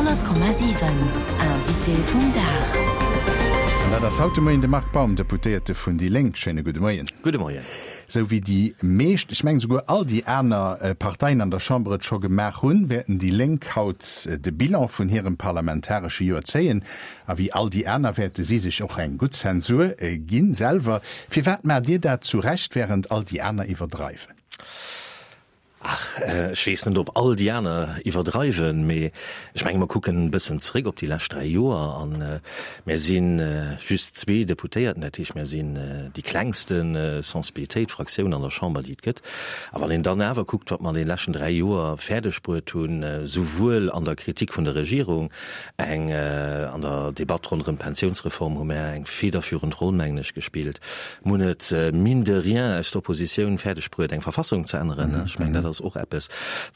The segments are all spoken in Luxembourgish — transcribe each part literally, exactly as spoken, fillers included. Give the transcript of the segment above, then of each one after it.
Honnert Komma siwen, Invité vum Dag. An dat ass haut de Moien de Marc Baum, Deputéierte vun déi Lénk. Schéine gudde Moien. Gudde Moien. Sou wéi déi meescht, ech mengen souguer all déi aner Parteien an der Chamber et scho gemaach hunn, wäerten déi Lénk haut de Bilan vun hirem parlamentaresche Joer zéien. A wéi all déi aner wäerte si sech och eng gutt Zensur ginn selwer. Firwat maacht Dir dat zu Recht, wärend all déi aner iwwerdreiwen? Ach, ech weess net, ob all déi aner iwwerdreiwen, mee ech menge mer kucken e bëssen zeréck op déi lescht dräi Joer a mär si just zwee Deputéierten, dat heescht, mär sinn déi klengste Sensibilitéit, Fraktioun an der Chamber, déi et gëtt. A wann een dann awer kuckt, wat mer an deene leschten dräi Joer fäerdeg bruet hunn, souwuel an der Kritik vun der Regierung, eng an der Debatt ronderëm d'Pensiounsreform hu mär eng federführend Roll, mengen ech, gespillt, mer hunn et mine de rien aus der Oppositioun fäerdeg bruet, eng Verfassung ze änneren, ech mengen, dat ass och eppes,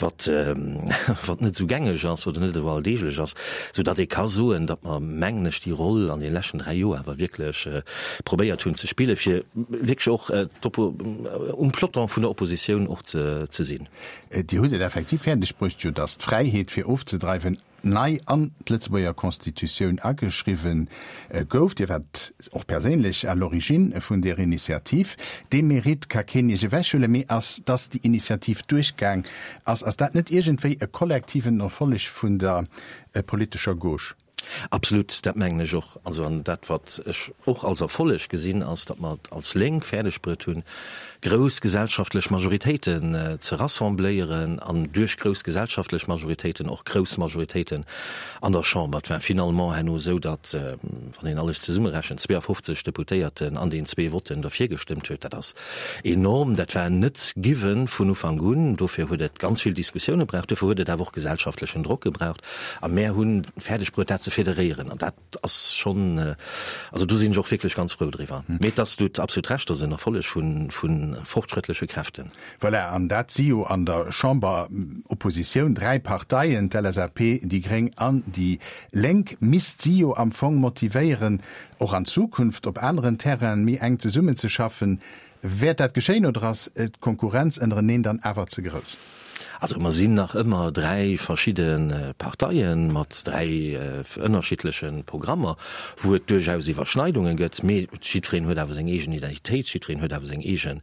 wat, wat net esou gängeg ass oder net esou alldeeglech ass, soudatt ee ka soen, datt mer, mengen ech, déi Roll an deene leschten dräi Joer awer wierklech probéiert hunn ze spillen, fir wierklech och um Peloton vun der Oppositioun och ze, ze sinn. Dir hutt et effektiv fäerdeg bruecht, jo, datt d'Fräiheet fir ofzedreiwen nei an d'Lëtzebuerger Constitutioun ageschriwwen gouf. Dir waart och perséinlech à l'origine vun där Initiativ. Dee Mérite ka keen Iech ewechhuelen. Mee ass, dass déi Initiativ duerchgaang ass, ass dat net iergendwéi e kollektiven Erfolleg vun der politescher Gauche? Absolut, dat mengen ech och. Also an dat, wat ech och als Erfolleg gesinn, ass, datt mer et als Lénk fäerdegbruet hunn, grouss gesellschaftlech Majoritéiten ze rassembléieren an duerch grouss gesellschaftlech Majoritéiten och grouss Majoritéiten an der Chamber. Et war finalement herno esou, datt, wann een alles zesummerechent, zweeafofzeg Deputéierten an den zwee Votten derfir gestëmmt huet. Dat ass enorm. Dat war net giwwen vun Ufank un. Dofir huet et ganz vill Diskussioune braucht. Dofir huet et awer och gesellschaftlechen Drock gebraucht. A mär hunn fäerdegbruet, dat ze federéieren. An dat ass schonn, also do sinn ech och wierklech ganz frou driwwer. Mee et ass, du hutt absolut Recht, et ass en Erfolleg vu fortschrëttleche Kräften. Voilà, an dat si jo an der Chamber Oppositioun dräi Parteien, d'L S A P, déi Gréng an déi Lénk. Misst si jo am Fong motivéieren, och an Zukunft op aneren Terrainen méi enk zesummenzeschaffen. Wäert dat geschéien oder ass d'Konkurrenz ënnereneen dann awer ze grouss? Also mer sinn nach ëmmer dräi verschidde Parteien mat dräi ënnerschiddleche Programmer, wou et duerchaus Iwwerschneidunge gëtt, mee jiddwereen huet awer seng eegen Identitéit, jiddwereen huet awer seng eege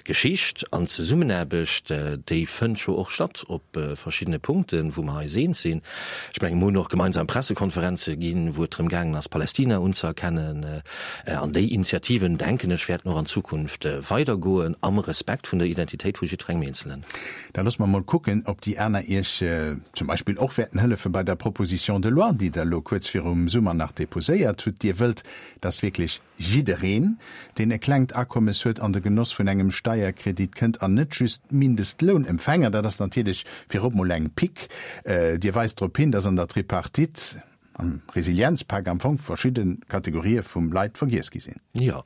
Geschicht. An d'Zesummenaarbecht, déi fënnt jo och statt op verschiddene Punkten, wou mer eis eens sinn. Ech mengen, mer hunn och gemeinsam Pressekonferenze ginn, wou et drëm gaangen ass, Palästina unzëerkennen. An déi Initiativen, denken ech, wäerten och an Zukunft weidergoen, am Respekt vun der Identitéit vu jiddwerengem Eenzelen. Da loosse mer mol kucken, ob déi aner Iech zum Beispill och wäerten hëllefe bei der Proposition de loi, déi Der elo kuerz virum Summer nach deposéiert hutt. Dir wëllt, dass wierklech jiddereen, deen e klengt Akommes huet, an de Genoss vun engem Steierkredit kënnt an net just d'Mindestlounempfänger. Dat ass natierlech virop mol eng Pick. Dir weist drop hin, dass an der Tripartite, am Resilienzpak am Fong verschidde Kategorië vum Leit vergiess gi sinn. Jo,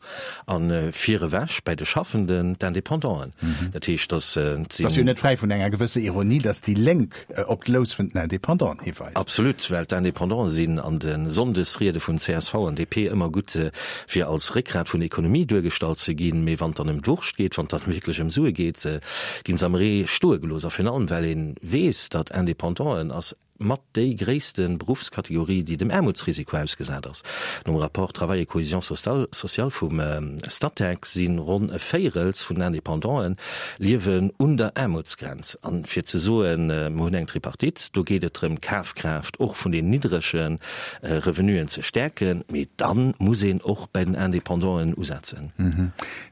a virewech bäi de Schaffenden, d'Independanten. Dat heescht, dass sinn. Et ass jo net fräi vun enger gewësse Ironie, dass déi Lénk op d'Lous vun den Independanten hiweist. Absolut, well d'Independanten sinn an de Sonndesriede vun C S V an D P ëmmer gutt, fir als Réckgrat vun der Ekonomie duergestallt ze ginn. Mee wann et dann ëm d'Wurscht geet, wann et dann wierklech ëm Sue geet, ginn se am Ree stoe gelooss. A virun allem, well ee weess, datt Independanten ass mat déi gréisste Beruffskategorie, déi dem Aarmutsrisiko ausgesat ass. Nom Rapport Travail et cohésion sociale vum Statec si ronn e Véirels vun den Independanten liewen un der Aarmutsgrenz. A fir ze soen, mer hunn eng Tripartite, do geet et drëm, d'Kafkraaft och vun den niddrege Revenuen ze stäerken, mee da muss een och bei den Independanten usetzen.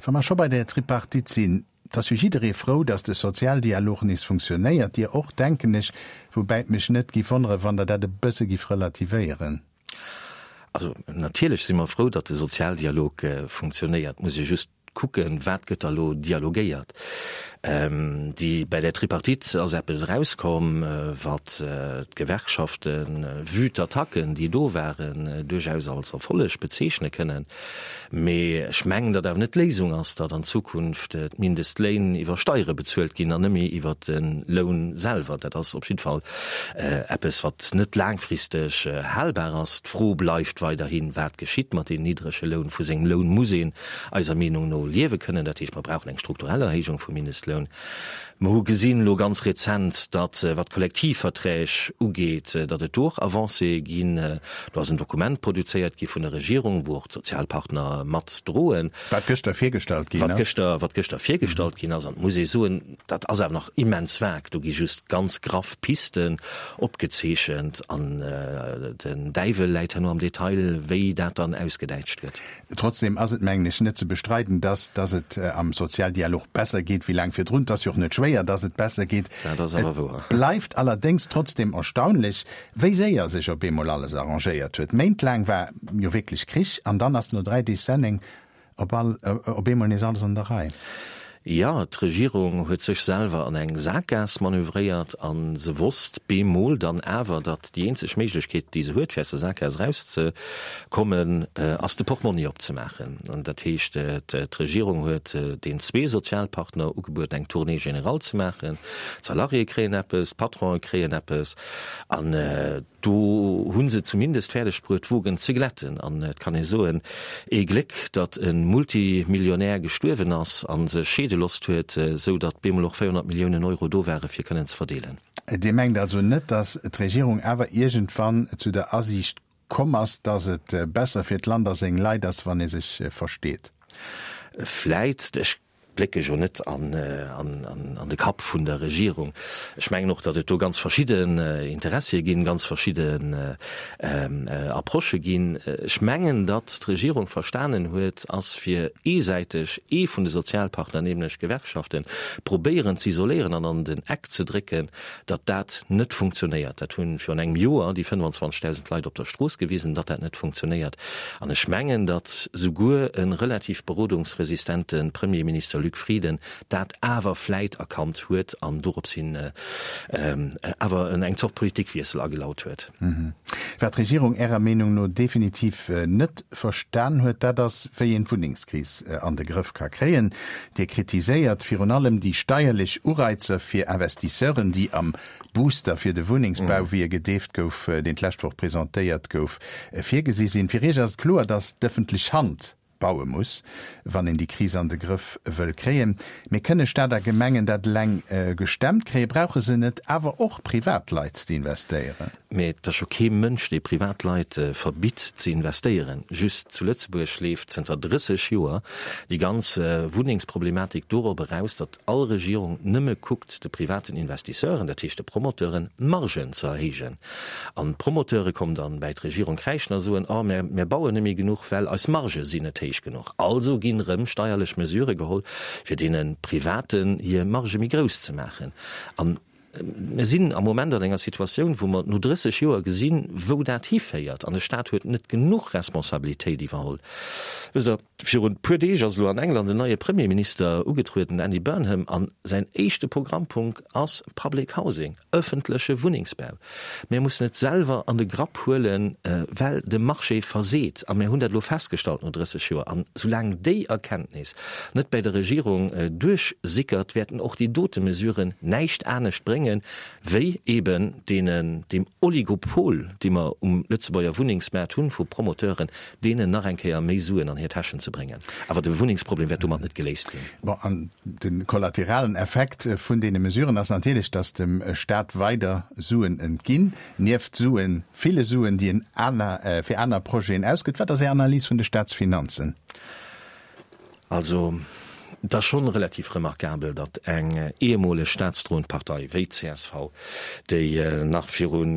Wa mer scho bei der Tripartite sinn, et ass jo jidderee frou, datt de Sozialdialog nees funktionéiert. Dir och, denken ech, woubäi et mech net giff wonnere wann Der dat e bësse giff relativéieren. Also natierlech si mer frou, datt de Sozialdialog funktionéiert. Muss ee just kucken, wat gëtt da lo dialogéiert. Déi, bei der Tripartite ass eppes erauskomm, wat d'Gewerkschaften, vue d'attacken, déi do waren, duerchaus als Erfolleg bezeechne kënnen. Mee ech mengen, datt awer net d'Léisung ass, datt an Zukunft d'Mindestléin iwwer Steiere bezuelt ginn an net méi iwwer de Loun selwer. Dat ass op jidde Fall eppes, wat net laangfristeg halbar ass. D'Fro bleift weiderhin, Wat geschitt mat deem niddrege Loun? Vu sengem Loun muss een eiser Meenung no liewe kënnen. Dat heescht, mer brauchen eng strukturell Erhéijung vum Mindestloun. Mindestloun. Mer hu gesinn elo ganz rezent, datt, wat d'Kollektivverträg ugeet, datt et do och Avancéë ginn. Do ass en Dokument produzéiert gi vun der Regierung, wou och d'Sozialpartner mat droen. Wat gëschter virgestallt ginn ass. Wat gëschter virgestallt ginn ass. An et muss ee soen, dat ass awer nach immens vag. Do gi just ganz graff Pisten opgezeechent an den Däiwel läit herno am Detail, wéi dat dann ausgedäitscht gëtt. Trotzdem ass et, mengen ech, net ze bestreiden, datt datt et am Sozialdialog besser geet wéi laang virdrun. Et ass jo och net schwéier, datt et besser geet. Dat ass awer wouer. Et bleift allerdéngs trotzdem erstaunlech, wéi séier sech op eemol alles arrangéiert huet. Méintlaang war jo wierklech Krich an dann ass no dräi Deeg Senneng op all op eemol nees alles an der Rei. Jo, d'Regierung huet sech selwer an eng Sakgaass manövréiert a se wosst bemol dann awer, datt déi eenzeg Méiglechkeet, déi se huet, fir aus der Sakgaass erauszekommen, ass de Portmonni opzemaachen. An dat heescht, d'Regierung huet den zwee Sozialpartner ugebueden, eng Tournée générale ze maachen. D'Salariéë kréien eppes, d'Patronen kréien eppes. An Do hu se zumindest fäerdeg bruet, d'Wogen ze glätten. An et kann ee soen, ee Gléck, datt e Multimillionär gestuerwen ass a sech scheede losst huet, esou datt bemol och véierhonnert Milliounen Euro do ware fir kënnen ze verdeelen. Dir mengt also net, datt d'Regierung awer iergendwann zu der Asiicht komm ass, datt et besser fir d'Land a seng Leit ass, wann ee sech versteet? Vläit. Ech blécke jo net an de Kapp vun der Regierung. Ech mengen och, datt et do ganz verschidden Interessie ginn, ganz verschidden Approchë ginn. Ech mengen, datt d'Regierung verstanen huet, ass fir eesäiteg ee vun de Sozialpartner, nämlech d'Gewerkschaften, probéieren z'isoléieren an an den Eck ze drécken, datt dat net funktionéiert. Dat hu virun engem Joer déi fënnefanzwanzegdausend Leit op der Strooss gewisen, datt dat net funktionéiert. An ech mengen, datt souguer e relativ berodungsresistente Premierminister Luc Frieden dat awer vläit erkannt huet an dorops hin awer eng Zort Politikwiessel agelaut huet. Wat d'Regierung Ärer Meenung no definitiv net verstan huet, dat ass, wéi een d'Wunnengskris an de Grëff ka kréien. Dir kritiséiert virun allem déi steierlech Ureizer fir Investisseuren, déi am Booster fir de Wunnengsbau, wéi e gedeeft gouf, deen d'lescht Woch presentéiert gouf, virgesi sinn. Fir Iech ass et kloer, datt d'ëffentlech Hand baue muss, wann een déi Kris an de Grëff wëll kréien. Mee kënne Stad a Gemengen dat eleng gestemmt kréien? Brauche se net awer och Privatleit, déi investéieren? Mee et ass jo kee Mënsch, dee Privatleit verbitt ze investéieren. Just zu Lëtzebuerg leeft zënter drësseg Joer déi ganz Wunnengsproblematik dorop eraus, datt all Regierung nëmme kuckt, de privaten Investisseuren, dat heescht de Promoteuren, d'Margen ze erhéijen. An d'Promoteure kommen dann bäi d'Regierung kräischen a soen, Oh, mär, mär bauen net méi genuch, well eis Margë sinn net héich genuch. Also ginn erëm steierlech Mesurë geholl, fir deene Privaten hir Margë méi grouss ze maachen. An mir sinn am Moment an enger Situatioun, wou mer no drësseg Joer gesinn, wou dat hiféiert. An de Stat huet net genuch Responsabilitéit iwwerholl. Wësst Der, virun e puer Deeg ass elo an England en neie Premierminister ugetrueden, den Andy Burnham, a säin éischte Programmpunkt ass Public Housing, ëffentleche Wunnengsbau. Mir mussen et selwer an de Grapp huelen, well de Marché verseet. A mir hunn dat elo festgestallt no drësseg Joer. An soulaang déi Erkenntnis net bäi der Regierung duerchsickert, wäerten och déi dote Mesuren näischt anescht bréngen, wéi eeben deenen, deem Oligopol, dee mer um Lëtzebuerger Wunnengsmaart hunn, vu Promoteuren, deenen nach eng Kéier méi Suen an hir Täschen ze bréngen. Awer de Wunnengsproblem wäert domat net geléist ginn. Bon, an de kollateralen Effekt vun deene Mesuren ass natierlech, dass dem Staat weider Suen entginn, nieft Suen, ville Suen, déi en aner, fir aner Projeten ausgëtt. Wat ass Är Analys vun de Staatsfinanzen? Also, et ass schonn relativ remarkabel, datt eng ehemoleg staatsdroend Partei wéi d'CSV, déi nach virun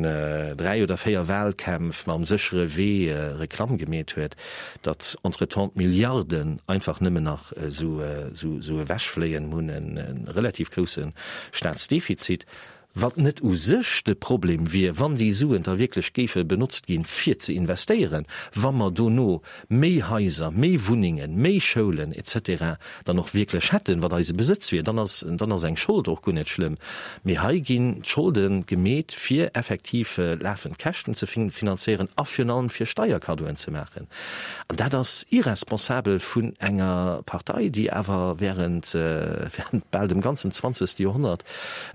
dräi oder véier Wahlkämpf mam séchere Wee Reklamm gemeet huet, datt entretemps d'Milliarden einfach nëmmen nach esou ewechfléien. Mir hunn e relativ grousse Staatsdefizit. Wat net u sech de Problem wier, wann déi Suen da wierklech géife benotzt ginn, fir ze investéieren, wa mer dono méi Haiser, méi Wunnengen, méi Schoulen et cetera dann och wierklech hätten, wat eise Besëtz wier, dann ass, dann ass eng Schold och guer net schlëmm. Mee hei ginn d'Scholde gemeet, fir effektiv lafend Käschten ze finanzéieren a virun allem fir Steierkaddoen ze maachen. An dat ass irresponsabel vun enger Partei, déi awer während, während bal dem ganzen zwanzegste Joerhonnert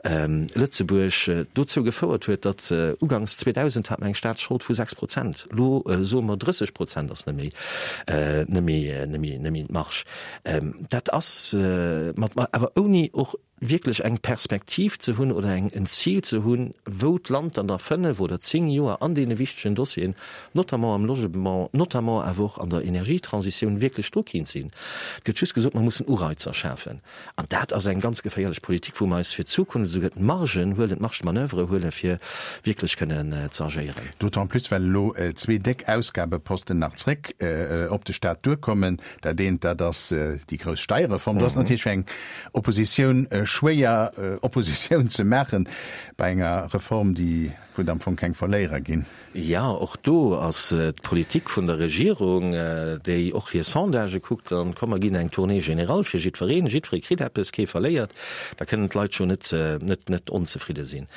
Lëtzebuerg dozou gefouert huet, datt uganks zweedausend hat mer eng Staatsschold vu sechs Prozent, elo soe mer drësseg Prozent ass net méi, net méi, net méi, net méi d'Marge. Dat ass mat, awer ouni och wierklech eng Perspektiv ze hunn oder eng en Zil ze hunn, wou d'Land dann a fënnef oder zéng Joer an deene wichtegen Dossieren, notamment am Logement, notamment awer och an der Energietransitioun, wierklech dru kéint sinn. Et gëtt just gesot, mer mussen Ureizer schafen. An dat ass eng ganz geféierlech Politik, wou mer eis fir d'Zukunft esouguer d'Margen huelen, d'Marge de manoeuvre huelen, fir wierklech kënnen ze agéieren. D'autant plus, well elo zwee déck Ausgabeposten nach zréck op de Stat duerkommen. Dat eent, dat ass déi grouss Steierreform. Do ass natierlech fir eng Oppositioun schwéier, Oppositioun ze maachen bei enger Reform, déi, wou et am Fong keng Verléierer ginn. Jo, och do ass d'Politik vun der Regierung, déi och hir Sondagë kuckt, an komm mer ginn eng Tournée générale fir jiddwereen, jiddweree kritt eppes, kee verléiert, da kënnen d'Leit scho net, net, net onzefridde sinn.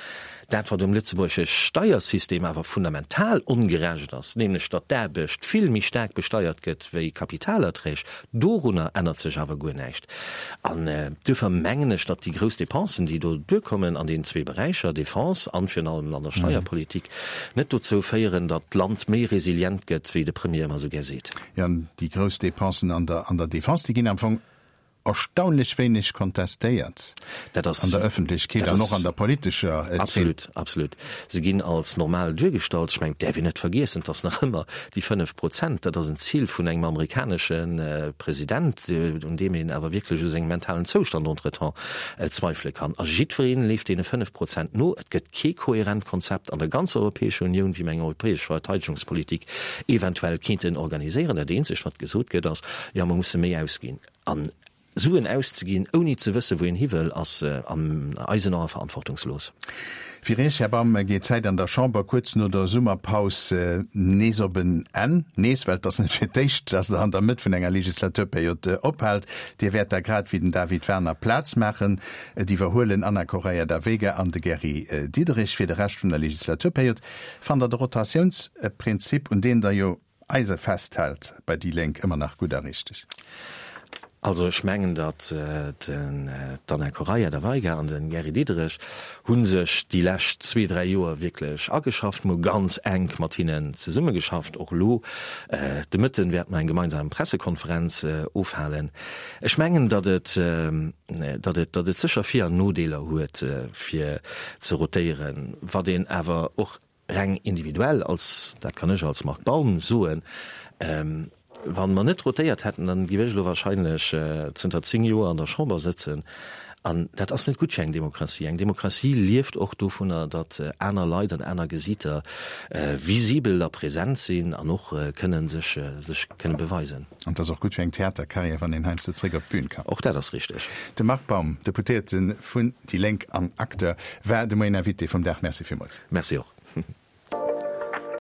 Dat, wat um lëtzebuergesche Steiersystem awer fundamental ongerecht ass, nämlech datt d'Aarbecht vill méi staark besteiert gëtt wéi Kapitalerträg, dorunner ännert sech awer guer näischt. An duerfir mengen ech, datt déi grouss Dépensen, déi do duerkommen an deenen zwee Beräicher, Défense an virun allem an der Steierpolitik, net dozou féieren, datt d'Land méi resilient gëtt, wéi de Premier ëmmer esou gär seet. Jo, an déi grouss Dépensen an der, an der Défense, déi ginn am Fong erstaunlech wéineg kontestéiert Dat ass, an der Ëffentlechkeet dat an och ass an der politescher Zeen. Absolut, absolut. Se ginn als normal duergestallt. Ech mengen, et däerf een net vergiessen, et ass nach ëmmer déi fënnef Prozent, dat ass en Zil vun engem amerikanesche President, un deem een awer wierklech u sengem mentalen Zoustand entretemps zweifele kann. A jiddwereen leeft deene fënnef Prozent no. Et gëtt kee kohärent Konzept an der ganzer Europäescher Unioun, wéi mer eng europäesch Verteidegungspolitik eventuell kéinten organiséieren. Dat eenzegt, wat gesot gëtt, ass, Jo, mer musse méi ausginn. An Suen auszeginn, ouni ze wëssen, wou een hi wëll, ass an eisen Ae verantwortungslos. Fir Iech, Här Baum, geet d'Zäit an der Chamber kuerz no der Summerpaus nees op en Enn. Nees, well et ass net fir d'éischt, dass Der an der Mëtt vun enger Legislaturperiod ophaalt. Dir wäert da grad wéi den David Werner Plaz maachen. Et iwwerhuelen Anna Correia da Veiga an de Gary Diderich fir de Rescht vun der Legislaturperiod. Fannt Der de Rotatiounsprinzip, un deen Der jo eise festhält bei déi Lénk, ëmmer nach gutt a richteg? Also ech mengen, datt d'Anna Correia da Veiga an de Gary Diderich hu sech déi lescht zwee, dräi Joer wierklech ageschafft. Mer hu ganz enk mat hinnen zesummegeschafft. Och elo de Mëtten wäerte mer eng gemeinsam Pressekonferenz ofhalen. Ech mengen, datt et, datt et, datt et sécher Vir an Nodeeler huet, fir ze rotéieren. Wat een awer och reng individuell als, dat kann ech als Marc Baum soen, wa mer net rotéiert hätten, dann géif ech elo wahrscheinlech zënter zéng Joer an der Chamber sëtzen. An dat ass net gutt fir eng Demokratie. Eng Demokratie lieft och dovunner, datt aner Leit an aner Gesiiter visibel a present sinn an och kënnen sech sech kënne beweisen. An et ass och gutt fir eng Theatercarrière, wann een heiansdo zréck op d'Bün kann. Och dat ass richteg. De Marc Baum, Deputéierte vun déi Lénk an Acteur, war de Moien Invité vum Dag. Merci villmools. Merci och.